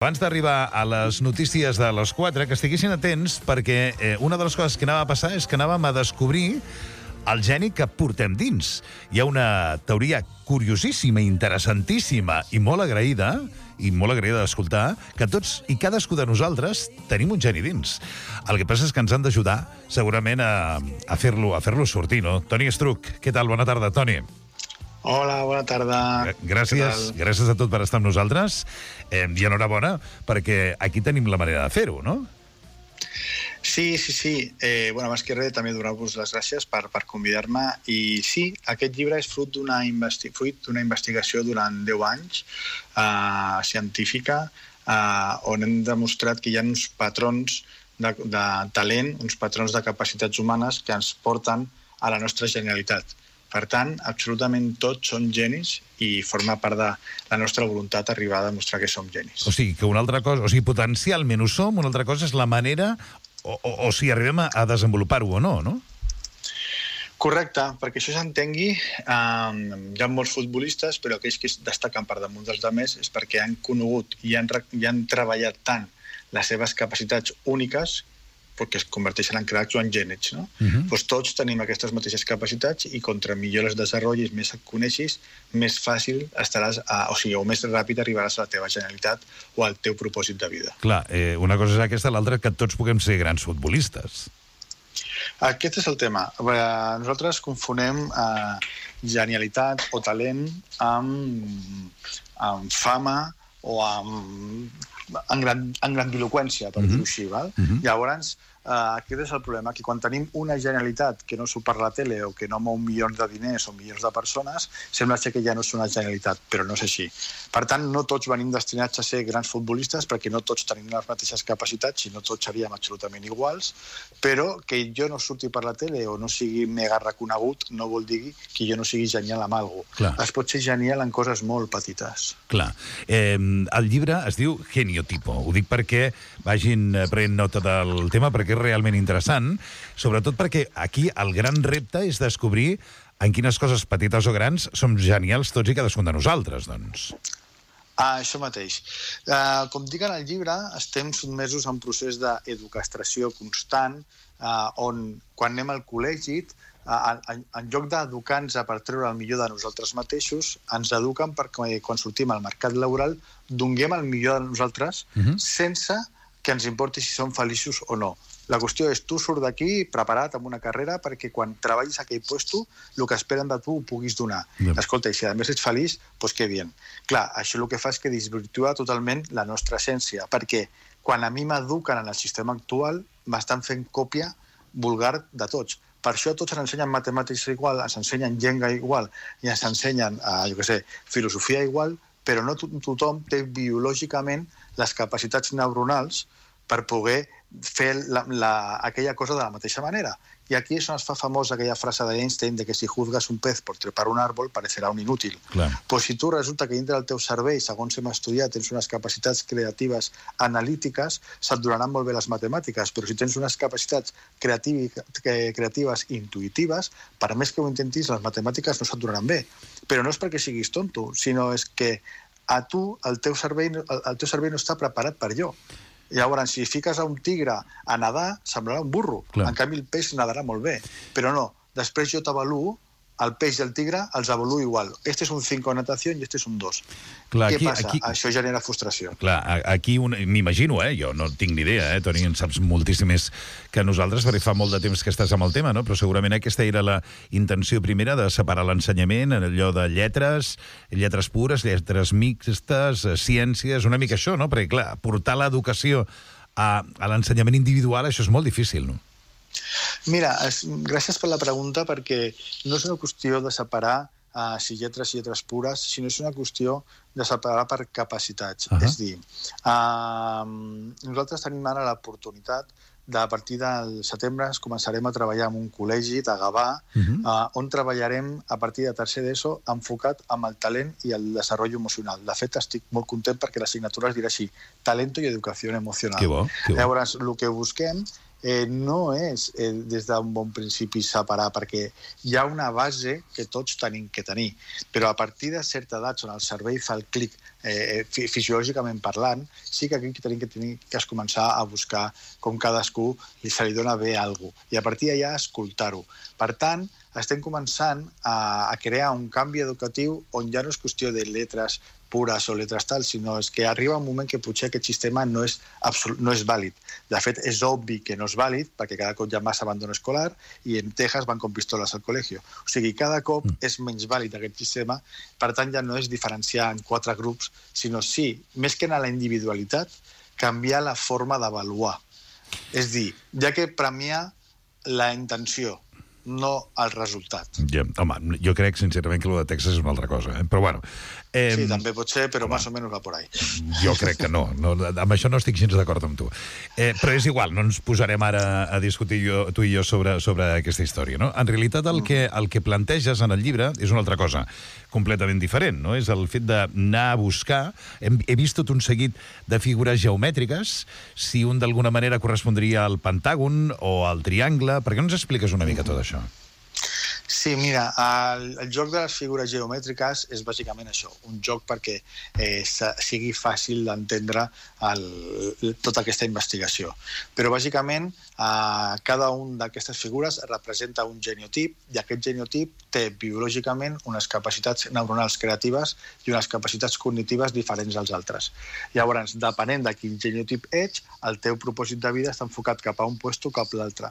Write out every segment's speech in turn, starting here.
Abans d'arribar a les notícies de les 4, que estiguessin atents, perquè una de les coses que anava a passar és que anàvem a descobrir el geni que portem dins. Hi ha una teoria curiosíssima, interessantíssima i molt agraïda d'escoltar, que tots i cadascú de nosaltres tenim un geni dins. El que passa és que ens han d'ajudar, segurament, a fer-lo sortir, no? Toni Estruch, què tal? Bona tarda, Toni. Hola, bona tarda. Gràcies a tot per estar amb nosaltres. I enhorabona, perquè aquí tenim la manera de fer-ho, no? Sí. Abans que res, també donar-vos les gràcies per convidar-me. I sí, aquest llibre és fruit d'una investigació durant 10 anys científica, on hem demostrat que hi ha uns patrons de talent, uns patrons de capacitats humanes que ens porten a la nostra genialitat. Per tant, absolutament tots són genis i forma part de la nostra voluntat arribar a demostrar que som genis. O sigui, que una altra cosa, potencialment ho som, una altra cosa és la manera o si arribem a desenvolupar-ho o no, no? Correcte, perquè això s'entengui, hi ha molts futbolistes, però aquells que destaquen per damunt dels altres és perquè han conegut i han treballat tant les seves capacitats úniques perquè es converteixen en cracs o en gènies, no? Doncs tots tenim aquestes mateixes capacitats i contra millor les desenvolupis, més et coneixis, més fàcil estaràs, o més ràpid arribaràs a la teva genialitat o al teu propòsit de vida. Clar, una cosa és aquesta, l'altra que tots puguem ser grans futbolistes. Aquest és el tema. Nosaltres confonem genialitat o talent amb fama o amb grandiloqüència, per dir-ho així. Llavors, aquest és el problema, que quan tenim una genialitat que no surt per la tele o que no mou milions de diners o milions de persones, sembla que ja no és una genialitat, però no és així. Per tant, no tots venim destinats a ser grans futbolistes, perquè no tots tenim les mateixes capacitats i no tots seríem absolutament iguals, però que jo no surti per la tele o no sigui mega reconegut no vol dir que jo no sigui genial amb alguna cosa. Es pot ser genial en coses molt petites. Clar. El llibre es diu Geniotipo. Ho dic perquè vagin prenent nota del tema, perquè és realment interessant, sobretot perquè aquí el gran repte és descobrir en quines coses petites o grans som genials tots i cadascun de nosaltres, doncs. Això mateix. Com dic en el llibre, estem sotmesos a un procés d'educació constant, on quan anem al col·legi, en lloc d'educar-nos per treure el millor de nosaltres mateixos, ens eduquen perquè quan sortim al mercat laboral donem el millor de nosaltres sense que ens importi si som feliços o no. La qüestió és, tu surt d'aquí preparat amb una carrera perquè quan treballis a aquell puesto, el que esperen de tu ho puguis donar. Escolta, i si a més ets feliç, doncs que bien. Clar, això el que fa és que desvirtua totalment la nostra essència, perquè quan a mi m'eduquen en el sistema actual, m'estan fent còpia vulgar de tots. Per això tots ens ensenyen matemàtiques igual, ens ensenyen llengua igual i ens ensenyen, filosofia igual, però no tothom té biològicament les capacitats neuronals per poder fer aquella cosa de la mateixa manera. I aquí és on es fa famosa aquella frase d'Einstein de que si juzgas un pez por trepar un árbol parecerà un inútil. Però si tu resulta que dintre del teu cervell, segons hem estudiat, tens unes capacitats creatives analítiques, se't donaran molt bé les matemàtiques, però si tens unes capacitats creatives intuïtives, per més que ho intentis, les matemàtiques no se't donaran bé. Però no és perquè siguis tonto, sinó és que a tu el teu cervell no està preparat per allò. Llavors, si fiques a un tigre a nedar, semblarà un burro. En canvi, el peix nadarà molt bé. Però no, després jo t'avaluo, el peix i el tigre els avaluo igual. Este és un 5 en natació i este és un 2. Què passa? Això genera frustració. Clar, aquí m'imagino, jo no tinc ni idea, Toni, en saps moltíssim més que nosaltres, perquè fa molt de temps que estàs amb el tema, no? Però segurament aquesta era la intenció primera de separar l'ensenyament en allò de lletres pures, lletres mixtes, ciències, una mica això, no? Perquè, clar, portar l'educació a l'ensenyament individual, això és molt difícil, no? Mira, gràcies per la pregunta, perquè no és una qüestió de separar si lletres pures, sinó és una qüestió de separar per capacitats. És dir, nosaltres tenim ara l'oportunitat de, a partir del setembre, començarem a treballar en un col·legi de Gavà, on treballarem a partir de tercer d'ESO enfocat amb el talent i el desenvolupament emocional. De fet, estic molt content perquè l'assignatura es dirà així, Talento i Educació Emocional. Que bo. Llavors, el que busquem no és des d'un bon principi separar, perquè hi ha una base que tots tenim que tenir, però a partir de certa edat on el cervell fa el clic fisiològicament parlant, sí que aquí tenim que començar a buscar com cadascú se li dona bé alguna cosa, i a partir d'allà escoltar-ho. Per tant, estem començant a crear un canvi educatiu on ja no és qüestió de lletres pures o lletres tal, sinó és que arriba un moment que potser aquest sistema no és vàlid. De fet, és obvi que no és vàlid, perquè cada cop hi ha massa abandono escolar i en Texas van con pistoles al col·legi. O sigui, cada cop és menys vàlid aquest sistema, per tant ja no és diferenciar en 4 grups, sinó sí, més que en la individualitat, canviar la forma d'avaluar. És dir, ja que premiar la intenció, no el resultat. Ja, home, jo crec, sincerament, que el de Texas és una altra cosa, però bueno. Sí, també pot ser, però més o menys va por ahí. Jo crec que no. Amb això no estic gens d'acord amb tu. Però és igual, no ens posarem ara a discutir tu i jo sobre aquesta història, no? En realitat, el que planteges en el llibre és una altra cosa completament diferent, no? És el fet d'anar a buscar... He vist tot un seguit de figures geomètriques, si un d'alguna manera correspondria al pentàgon o al triangle. Per què no ens expliques una mica tot això? Sí, mira, el joc de les figures geomètriques és bàsicament això, un joc perquè sigui fàcil d'entendre tota aquesta investigació. Però bàsicament cada una d'aquestes figures representa un genotip i aquest genotip té biològicament unes capacitats neuronals creatives i unes capacitats cognitives diferents als altres. Llavors, depenent de quin genotip ets, el teu propòsit de vida està enfocat cap a un puesto o cap a l'altre.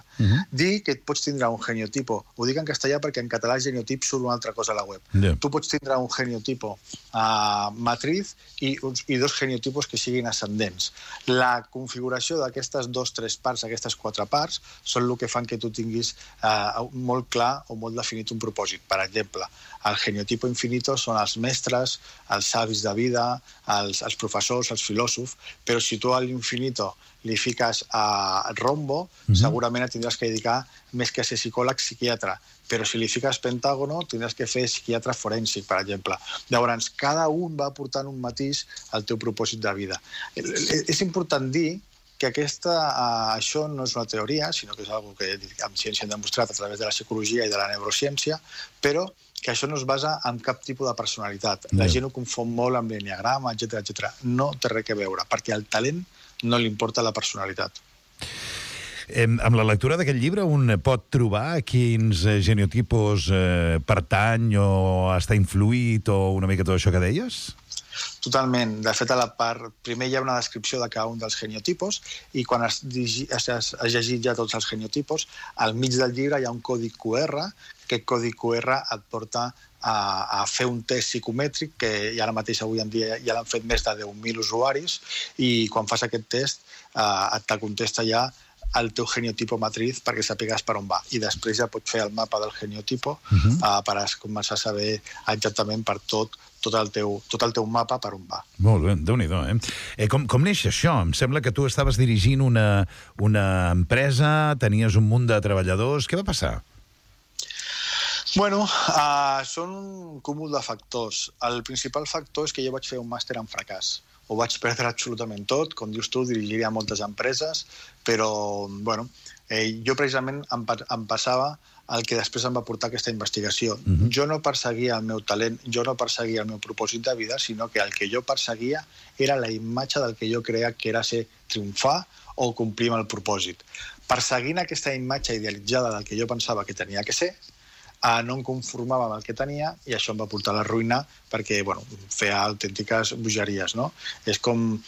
Dir que et pots tindre un geniotipo, ho dic en castellà perquè en català genotip surt una altra cosa a la web. Tu pots tindre un geniotipo matriz i 2 genotipos que siguin ascendents. La configuració d'aquestes 2-3 parts, aquestes 4 parts, són el que fan que tu tinguis molt clar o molt definit un propòsit. Per exemple, el geniotipo infinito són els mestres, els savis de vida, els professors, els filòsofs, però si tu a l'infinito li fiques a rombo, segurament et tindràs que dedicar més que a ser psicòleg, psiquiatre. Però si li fiques pentàgono, tindràs que fer psiquiatre forènsic, per exemple. Llavors, cada un va aportant un matís al teu propòsit de vida. És important dir que això no és una teoria, sinó que és una cosa que amb ciència hem demostrat a través de la psicologia i de la neurociència, però que això no es basa en cap tipus de personalitat. La gent ho confon molt amb l'enneagrama, etc. No té res a veure, perquè al talent no li importa la personalitat. Amb la lectura d'aquest llibre un pot trobar quins genotipos pertany o està influït o una mica tot això que deies? Totalment. De fet, a la part... Primer hi ha una descripció de cada un dels genotipos i quan has llegit ja tots els genotipos, al mig del llibre hi ha un codi QR. Aquest codi QR et porta a fer un test psicomètric que ara mateix avui en dia ja l'han fet més de 10.000 usuaris i quan fas aquest test et contesta ja el teu geniotipo matriz perquè sapigues per on va. I després ja pots fer el mapa del geniotipo per començar a saber exactament per tot el teu mapa per on va. Molt bé, Déu-n'hi-do, Com neix això? Em sembla que tu estaves dirigint una empresa, tenies un munt de treballadors. Què va passar? Bueno, són un cúmul de factors. El principal factor és que jo vaig fer un màster en fracàs. Ho vaig perdre absolutament tot. Com dius tu, dirigiria moltes empreses, però, bueno, jo precisament em passava el que després em va portar aquesta investigació. Jo no perseguia el meu talent, jo no perseguia el meu propòsit de vida, sinó que el que jo perseguia era la imatge del que jo creia que era ser triomfar o complir amb el propòsit. Perseguint aquesta imatge idealitzada del que jo pensava que tenia que ser, no em conformava amb el que tenia i això em va portar a la ruïna perquè, bueno, feia autèntiques bogeries, no? És com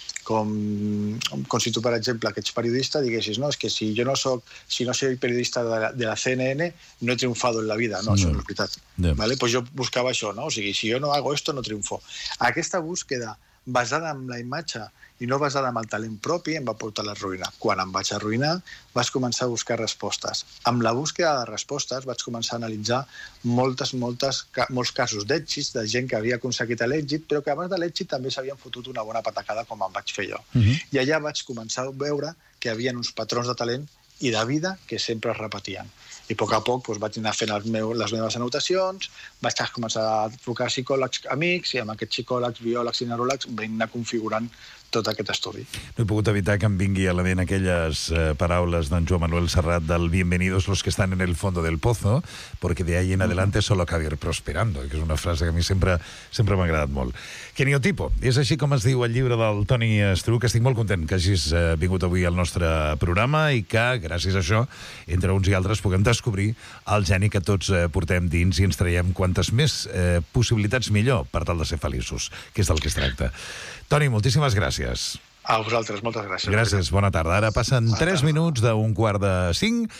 si tu, per exemple, que ets periodista, diguessis, no, és que si no soy periodista de la CNN, no he triunfado en la vida. No, això no és veritat. ¿Vale? Pues jo buscava això, no? O sigui, si jo no hago esto, no triunfo. Aquesta búsqueda basada en la imatge i no basada en el talent propi em va portar a la ruïna. Quan em vaig arruïnar, vaig començar a buscar respostes. Amb la búsqueda de respostes vaig començar a analitzar molts casos d'èxits de gent que havia aconseguit l'èxit, però que abans de l'èxit també s'havien fotut una bona patacada com em vaig fer jo. I allà vaig començar a veure que hi havia uns patrons de talent i de vida que sempre es repetien. I a poc a poc vaig anar fent les meves anotacions, vaig començar a trucar psicòlegs amics i amb aquests psicòlegs, biòlegs i neuròlegs vam anar configurant tot aquest estudi. No he pogut evitar que em vingui a la ment aquelles paraules d'en Joan Manuel Serrat del Bienvenidos los que están en el fondo del pozo, porque de ahí en adelante solo cabe ir prosperando, que és una frase que a mi sempre m'ha agradat molt. Geniotipo, és així com es diu el llibre del Toni Estruch. Estic molt content que hagis vingut avui al nostre programa i que, gràcies a això, entre uns i altres puguem descobrir el geni que tots portem dins i ens traiem quantes més possibilitats millor per tal de ser feliços, que és del que es tracta. Toni, moltíssimes gràcies. A vosaltres, moltes gràcies. Gràcies, bona tarda. Ara passen 3 minuts d'1:45.